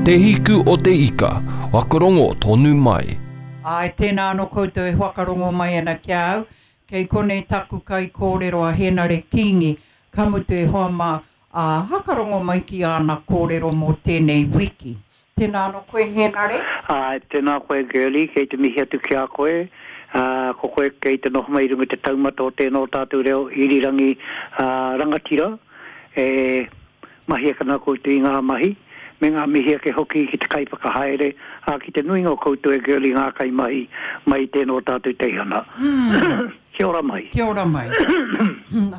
Te Hiku o te Ika, whakarongo tonu mai. Āe, tēnā anō koutou e whakarongo mai ana ki a au. Kei konei taku kaikōrero a Henare Kingi, ka mutu e hoa mā, ā, hakarongo mai ki āna kōrero mō tēnei wiki. Tēnā anō koe Henare. Āe, tēnā koe Girlie, kei te mihi atu ki a koe, ā, ko koe kei te noho mai i runga i te taumata o tēnā o tātou reo irirangi rangatira e mahi ake ana koutou i ngā mahi, me ngā mihi ake hoki ki te kaiwhakahaere, ā, ki te nuinga o koutou e Girlie ngā kaimahi mai i tēnā o tātou teihana. Kia ora mai. Kia ora mai.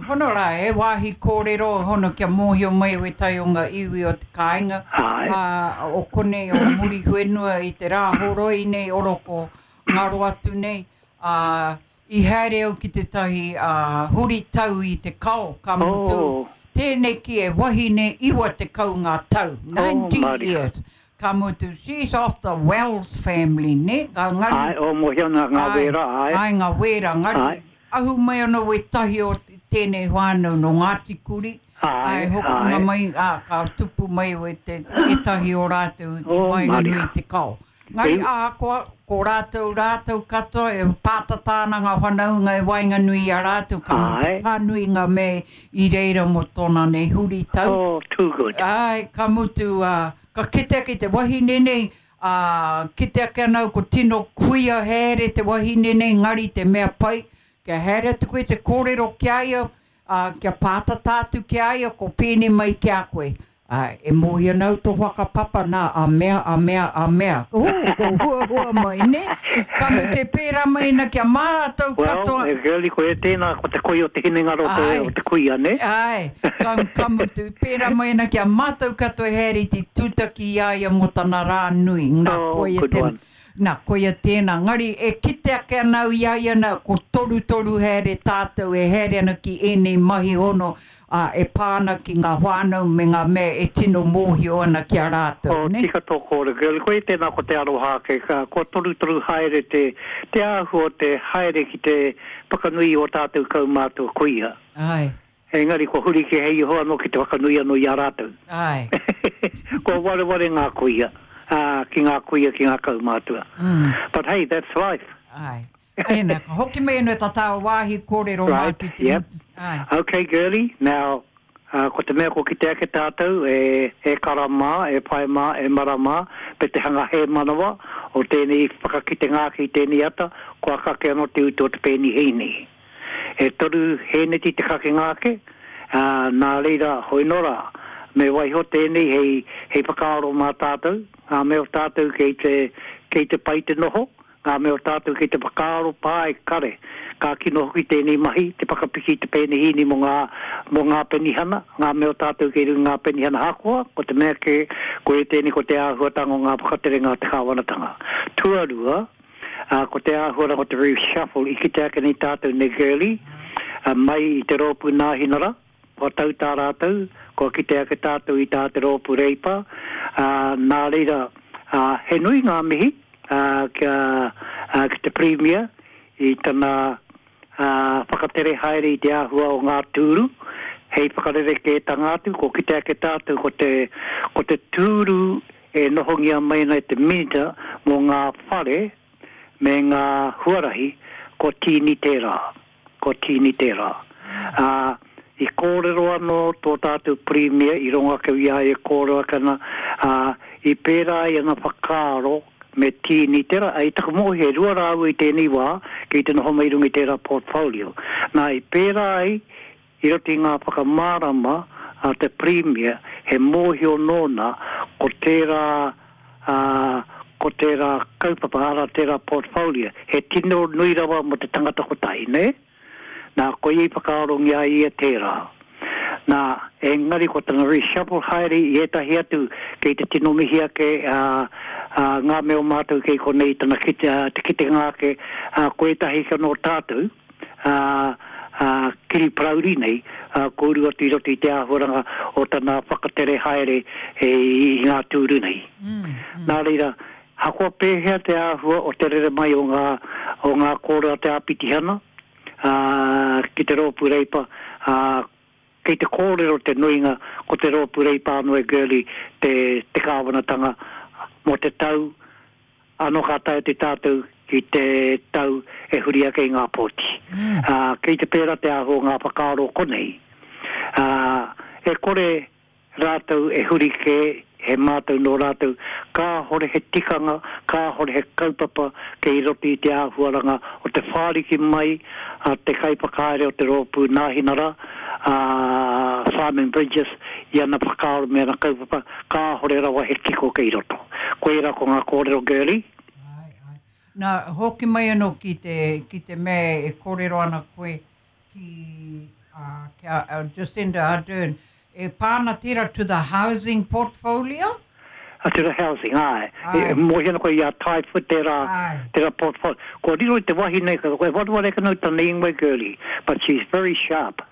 Hono rā, he wāhi kōrero, hono kia mōhio mai wētahi o ngā iwi o te kāinga, Āe. ā, o konei o Muriwhenua i te rā horoi nei oroko ngaro atu nei, ā, i haere au ki tētahi, ā, huri tau i te kao, ka mutu, Oh. tēneki e wahine 90 ngā tau, 90 Oh, years. Ka mutu, she's of the Wells family, nē? Ka ngari. Āe, o mōhio ana ngā wēra, āe. Āe, ngā wēra, ngari. Āe. Ahu mai ana wētahi o tēnei whānau nō Ngāti Kuri. Āe, āe. Hokinga āe. mai, ā, ka tupu mai wē te, ētahi o rātou ki waenganui i te kao. Ngari ahakoa, ko rātou, rātou katoa e pātata ana ngā whanaunga e waenganui i a rātou, ka mutu whānui ngā mea i reira mō tōna nei huritau. Oh, too good. Āe, ka mutu, ā, ka kite ake te wahine nei, ā, kite ake ana au ko tino kuia haere te wahine nei, ngari te mea pai, kia haere atu koe te kōrero ki a ia, Ā, kia pātata atu ki a ia, ko pēnei mai ki a koe, Ā, e mōhio ana au tō whakapapa nā, a mea, a mea, a mea. Hū, ko huahua mai, nē? Ka mutu e pērā mai ana ki a mātou katoa. Well, e girlie, koia tēnā, ko te koi o te hinengaro o te, o te kuia, nē? Āe, ka, ka mutu, pērā mai ana ki a mātou katoa e haere i te tūtaki i a ia mō tana rā nui. Nā, Oh, koia good te, one. Na, koia tēnā. Ngari, e kite ake ana au i a ia na, ko torutoru haere tātou e haere ana ki ēnei mahi hono, ā, e pā ana ki ngā whānau me ngā mea e tino mōhio ana ki a rātou, Oh, nē? tika tō kōrero, girlie. Koia tēnā ko te aroha ake, ka, kua torutoru haere te, te āhua o te haere ki te whakanui i ō tātou kaumātua kuia. Āe. Engari kua huri kē hei iho anō ki te whakanui anō i a rātou. Āe. Kua wareware ngā kuia, ā, ki ngā kuia, ki ngā kaumātua. But hey, that's life. Āe. Ēnā, ka hoki mai anō tā tāua wāhi kōrero mā Right, ki te yep. motu. Āe. Okay, girlie, now, ā, ko te mea kua kite ake tātou, e, e kara mā, e pae mā, e mara mā, me te hanga hēmanawa o tēnei whakakitenga ake i tēnei ata, kua kake anō te utu o te pēnihīni. E toru hēneti te kakenga ake, ā, nā reira, hoi nō rā, me waiho tēnei hei, hei whakaaro mā tātou, ngā mea o tātou kei te, kei te pai te noho, ngā mea o tātou kei te whakaaro pā e kare, ka kino hoki tēnei mahi, te whakapiki i te pēnehīni mō ngā, mō ngā penihana, ngā mea o tātou kei runga i ngā penihana ahakoa, ko te mea kē, koia tēnei ko te āhuatanga o ngā whakaterenga a te kāwanatanga. Tuarua, Ā, ko te āhuaranga o te reshuffle i kite ake nei tātou nei Girlie, ā, mai i te rōpū Nāhinara, kua tau tā rātou, kua kite ake tātou i tā te rōpū Reipa, ā, nā reira, ā, he nui ngā mihi, ā, kia, ā, ki te Pirimia i tana, ā, whakatere haere i te āhua o ngā tūru, hei whakarerekētanga atu, kua kite ake tātou ko te, ko te tūru E nohongia mai ana e te Minita mō ngā Whare me ngā Huarahi, ko Tīni tērā, ko Tīni tērā. Ā, i kōrero anō tō tātou Pirimia i rongo ake i a ia e kōrero ake ana, ā, i pērā ai ana whakaaro me Tīni tērā, ā, i taku mōhio e rua rāua i tēnei wā kei te noho mai i runga i tērā portfolio. Nā, i pērā ai I roto i ngā whakamārama a te Pirimia, he mōhio nōna ko tērā, ā, ko tērā kaupapa, arā, tērā portfolio, he tino nui rawa mō te tangata kotahi, nē? Nā, koia i whakaarongia ai ia tērā. Nā, engari ko tana reshuffle haere i ētahi atu kei te tino mihi ake, ā, ā, ngā mea o mātou kei konei tana kite, ā, te kitenga ake, ā, ko ētahi anō tātou, ā, ā, kiri parauri nei, ā, kua uru atu i roto i te āhuaranga o tana whakatere haere i ngā tūru nei. Nā reira, hakoa pēhea te āhua o te rere mai o ngā, o ngā kōrero a te āpitihana, ā, ki te Rōpū Reipa, ā, kei te kōrero te nuinga ko te Rōpū Reipa anō e Girlie te, te kāwanatanga mō te tau anō ka tae atu tātou ki te tau e huri ake i ngā pōti. Ā, kei te pērā te āhua o ngā whakaaro konei. Ā, e kore rātou e huri kē, he mātau nō rātou, kāhore he tikanga, kāhore he kaupapa kei roto i te āhuaranga o te whāriki mai a te kaiwhakahaere o te rōpū Nāhinara, a Simon Bridges, i ana whakaaro me ana kaupapa, kāhore rawa he kiko kei roto. Koirā ko ngā kōrero Girlie. Āe, āe. Nā, hoki mai anō ki te, ki te mea e kōrero ana koe ki, uh, ki a uh, Jacinda Ardern, e pā ana tērā to the housing portfolio? Uh, to the housing, āe. Āe. E, mōhio ana koe i a Taiwha tērā, āe. tērā portfolio. Kua riro i te wahine, e wareware ake nau tana ingoa girlie, but she's very sharp.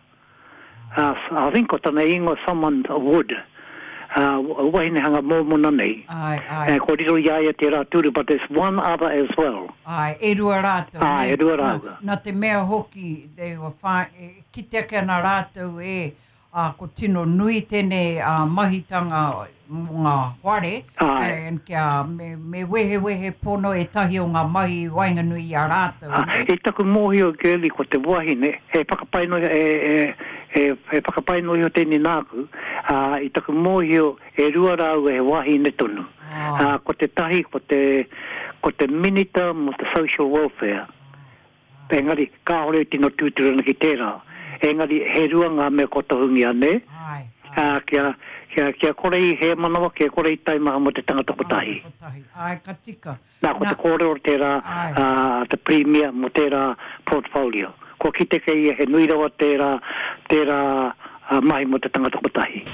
Uh, I think ko tana ingoa someone Wood. Uh, wahine hanga mōmona nei. Āe, āe. Eh, kua riro i a ia tērā tūru, but there's one other as well. Āe, e rua rātou. Āe, e rua rāua. Nā, nā te mea hoki, they were fine, e kite ake ana rātou e, ā, ko tino nui tēnei ā, mahitanga mō ngā whare, Āe. and kia me, me wehewehe pono ētahi o ngā mahi i waenganui i a rātou, Ā, nē? i taku mōhio, Girlie, ko te wahine, he whakapae noa iho, e, e, e, he whakapae noa iho tēnei nāku, ā, i taku mōhio, e rua rāua he wāhine tonu. Ā, ko tētahi, ko te, ko te Minita mō te Social Welfare. Engari, kāore e tino tūturu ana ki tērā. Engari, he rua ngā mea kua tohungia, nē? Āe, āe. Ā, kia, kia, kia kore i hēmanawa, kia kore i taimaha mō te tangata kotahi. Tangata kotahi, āe, ka tika. Nā, ko te kōrero tērā a te Pirimia mō tērā portfolio. Kua kite kei ia he nui rawa tērā, tērā mahi mō te tangata kotahi.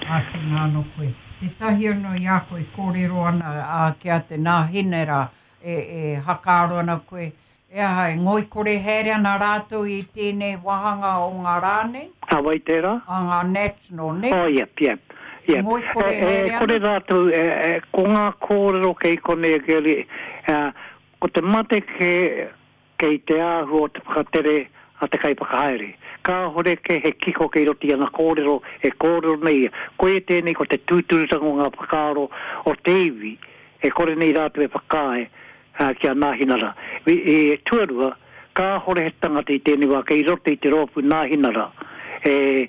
Āe, tēnā anō koe. Tētahi anō i a koe kōrero ana, ā, ki a te Nāhinera, e, e hakaaro ana koe, e aha, e ngoikore haere ana rātou i tēnei wāhanga o ngā rā nei? A wai tērā? A ngā National, nē? Oh, yep, yep, yep. E ngoikore haere ana? E kore rātou, e, e, ko ngā kōrero kei konei e Girlie, e, ko te mate kē, kei te āhua o te whakatere a te kaiwhakahaere. Kāhore kē he kiko kei roto i ana kōrero e kōrero nei ia. Koia tēnei ko te tūturutanga o ngā whakaaro o te iwi e kore nei rātou e whakaae ki a Nāhinara. I, tuarua, kāhore he tangata i tēnei wā kei roto i te rōpū Nāhinara e,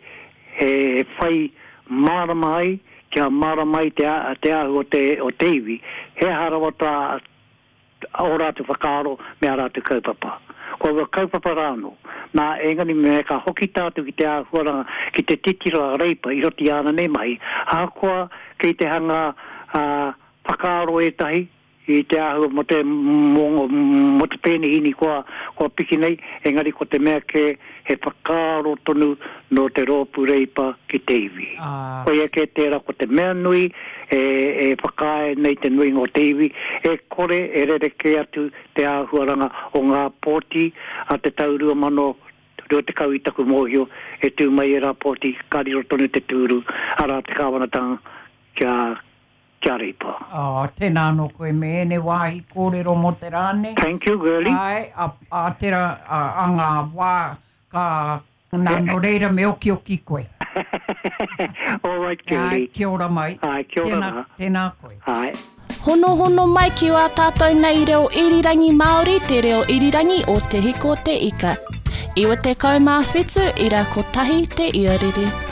e whai mārama ai, kia mārama ai te, te āhua o te, o te iwi, he aha rawa tā, ō rātou whakaaro me ā rātou kaupapa. Ko aua kaupapa rā anō. Nā, engari me ka hoki tātou ki te āhuaranga, ki te titiro a Reipa i roto i āna nei mahi, ahakoa kei te hanga, ā, whakaaro ētahi i te āhua mō te, mō, mō te pēnihini kua, kua piki nei, engari ko te mea kē, he whakaaro tonu nō te rōpū Reipa ki te iwi. Koia kē tērā ko te mea nui e, e whakaae nei te nuinga o te iwi, e kore e rerekē atu te āhuaranga o ngā pōti a te tau 2020 i taku mōhio e tū mai ērā pōti ka riro tonu te tūru, arā te kāwanatanga kia kia Reipa. Oh, tēnā anō koe me ēnei wāhi kōrero mō te rā nei. Thank you, girlie. Āe, a, a tērā, a, a ngā wā ka, nā, nō reira me okioki koe. All right, girlie. Āe, kia ora mai. Āe, kia ora tēnā, rā. Tēnā koe. Āe. Honohono mai ki wā tātou nei reo irirangi Māori, te reo irirangi o Te Hiko Te Ika. 97 ira kotahi te iarere.